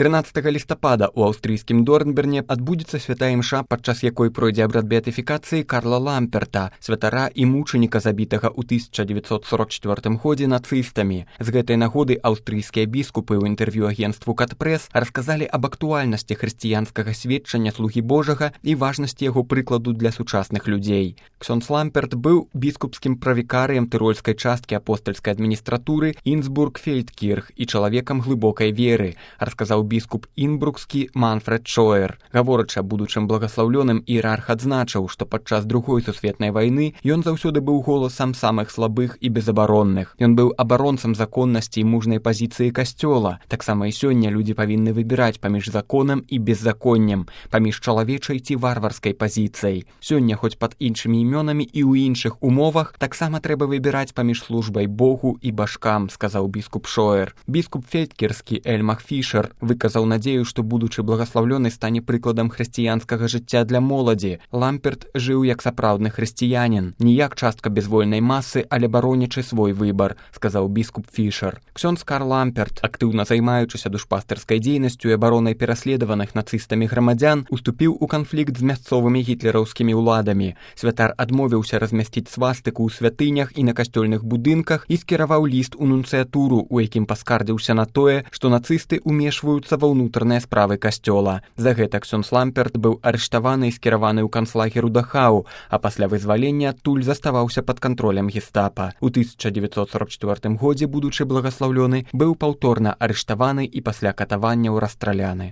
13 лістапада ў аўстрыйскім Дорнберне адбудзецца святая імша, падчас якой пройдзе абрад беатыфікацыі Карла Ламперта, святара і мучаніка, забітага ў 1944 годзе нацыстамі. З гэтай нагоды аўстрыйскія біскупы ў інтэрв'ю агенцтву Катпрэс расказалі аб актуальнасці хрысціянскага сведчання слугі Божага і важнасці яго прыкладу для сучасных людзей. Ксёндз Ламперт быў біскупскім правікарыем тырольскай часткі апостальскай адміністратуры Інсбург-Фельдкірх і чалавекам глыбокай веры, расказаў біскуп інбрукскі Манфред Шоер. Гаворачы аб будучым благаслаўлёным, іерарх адзначыў, што падчас Другой сусветнай вайны ён заўсёды быў голасам самых слабых і безабаронных. Ён быў абаронцам законнасці і мужнай пазіцыі касцёла. Таксама і сёння людзі павінны выбіраць паміж законам і беззаконнем, паміж чалавечай ці варварскай пазіцыяй. Сёння, хоць пад іншымі імёнамі і ў іншых умовах, таксама трэба выбіраць паміж службай Богу і башкам, сказаў біскуп Шоер. Біскуп фельдкірскі Эльмах Фішер выказаў надзею, што будучы благаслаўлёны стане прыкладам хрысціянскага жыцця для моладзі. Ламперт жыў як сапраўдны хрысціянін, не як частка безвольнай масы, але баронячы свой выбар, сказаў біскуп Фішер. Ксёндз Карл Ламперт, актыўна займаючыся душпастырскай дзейнасцю і абаронай пераследаваных нацыстамі грамадзян, уступіў у канфлікт з мясцовымі гітлераўскімі ўладамі. Святар адмовіўся размясціць свастыку ў святынях і на касцёльных будынках і скіраваў ліст у нунцыятуру, у якім паскардзіўся на тое, што нацысты ўмешваюцца ва ўнутраныя справы касцёла. За гэта ксёндз Ламперт быў арыштаваны і скіраваны ў канцлагер у Дахау, а пасля вызвалення адтуль заставаўся пад кантролем гестапа. У 1944 годзе будучы благаслаўлёны быў паўторна арыштаваны і пасля катаванняў расстраляны.